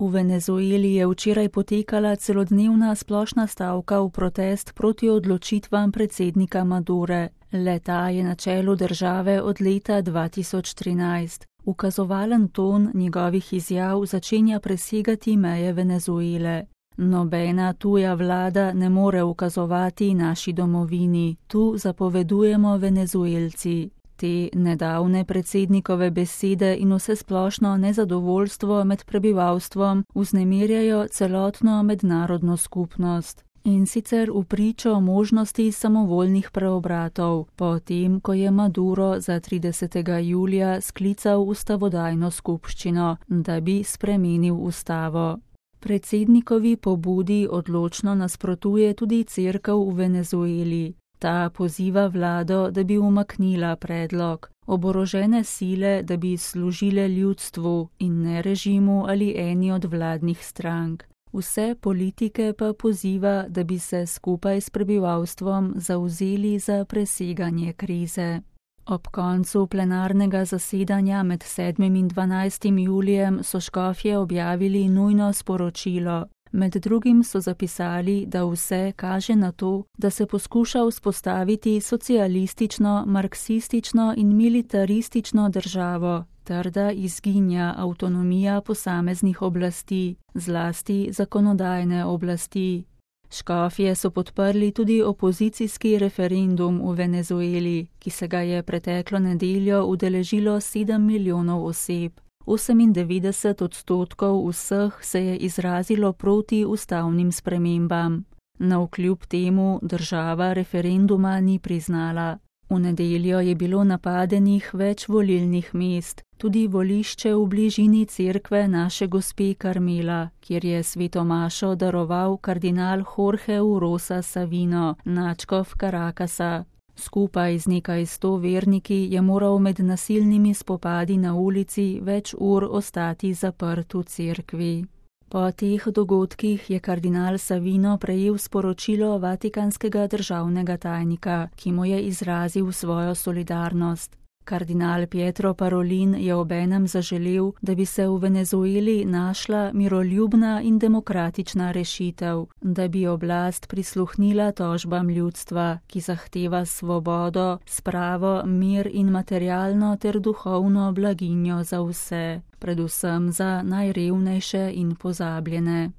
V Venezueli je včeraj potekala celodnevna splošna stavka v protest proti odločitvam predsednika Madure. Le-ta je na čelu države od leta 2013. Ukazovalen ton njegovih izjav začenja presegati meje Venezuele. Nobena tuja vlada ne more ukazovati naši domovini, tu zapovedujemo Venezuelci. Te nedavne predsednikove besede in vsesplošno nezadovoljstvo med prebivalstvom vznemirjajo celotno mednarodno skupnost. In sicer v pričo možnosti samovoljnih preobratov, potem, ko je Maduro za 30. julija sklical ustavodajno skupščino, da bi spremenil ustavo. Predsednikovi pobudi odločno nasprotuje tudi cerkev v Venezueli. Ta poziva vlado, da bi umaknila predlog, oborožene sile, da bi služile ljudstvu in ne režimu ali eni od vladnih strank. Vse politike pa poziva, da bi se skupaj s prebivalstvom zavzeli za preseganje krize. Ob koncu plenarnega zasedanja med 7. in 12. julijem so škofje objavili nujno sporočilo. Med drugim so zapisali, da vse kaže na to, da se poskuša vzpostaviti socialistično, marksistično in militaristično državo, ter da izginja avtonomija posameznih oblasti, zlasti zakonodajne oblasti. Škofje so podprli tudi opozicijski referendum v Venezueli, ki se ga je preteklo nedeljo udeležilo 7 milijonov oseb. 98% vseh se je izrazilo proti ustavnim spremembam. Navkljub temu država referenduma ni priznala. V nedeljo je bilo napadenih več volilnih mest, tudi volišče v bližini cerkve Naše gospe Karmela, kjer je svetomašo daroval kardinal Jorge Urosa Savino, nadškof Caracasa. Skupaj z nekaj 100 verniki je moral med nasilnimi spopadi na ulici več ur ostati zaprt v cerkvi. Po teh dogodkih je kardinal Savino prejel sporočilo vatikanskega državnega tajnika, ki mu je izrazil svojo solidarnost. Kardinal Pietro Parolin je obenem zaželel, da bi se v Venezueli našla miroljubna in demokratična rešitev, da bi oblast prisluhnila tožbam ljudstva, ki zahteva svobodo, spravo, mir in materialno ter duhovno blaginjo za vse, predvsem za najrevnejše in pozabljene.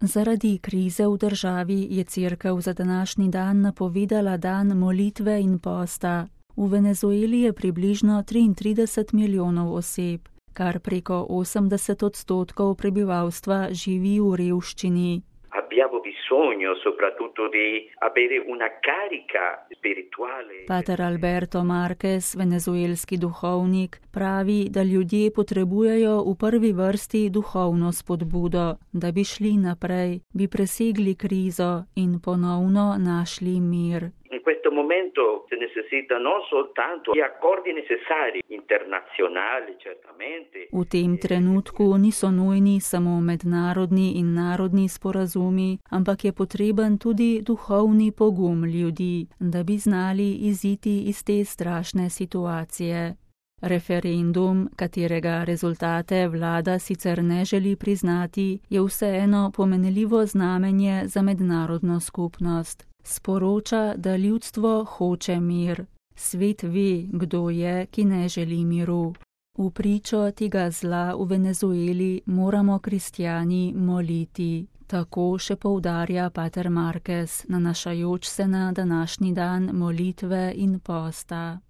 Zaradi krize v državi je cerkev za današnji dan napovedala dan molitve in posta. V Venezueli je približno 33 milijonov oseb, kar preko 80% prebivalstva živi v revščini. Pater Alberto Marquez, venezuelski duhovnik, pravi, da ljudje potrebujejo v prvi vrsti duhovno spodbudo, da bi šli naprej, bi presegli krizo in ponovno našli mir. In questo momento si necessita non soltanto gli accordi necessari internazionali, certamente. V tem trenutku niso nujni samo mednarodni in narodni sporazumi, ampak je potreben tudi duhovni pogum ljudi, da bi znali iziti iz te strašne situacije. Referendum, katerega rezultate vlada sicer ne želi priznati, je vseeno pomenljivo znamenje za mednarodno skupnost. Sporoča, da ljudstvo hoče mir. Svet ve, kdo je, ki ne želi miru. V pričo tega zla v Venezueli moramo kristjani moliti. Tako še poudarja pater Marquez, nanašajoč se na današnji dan molitve in posta.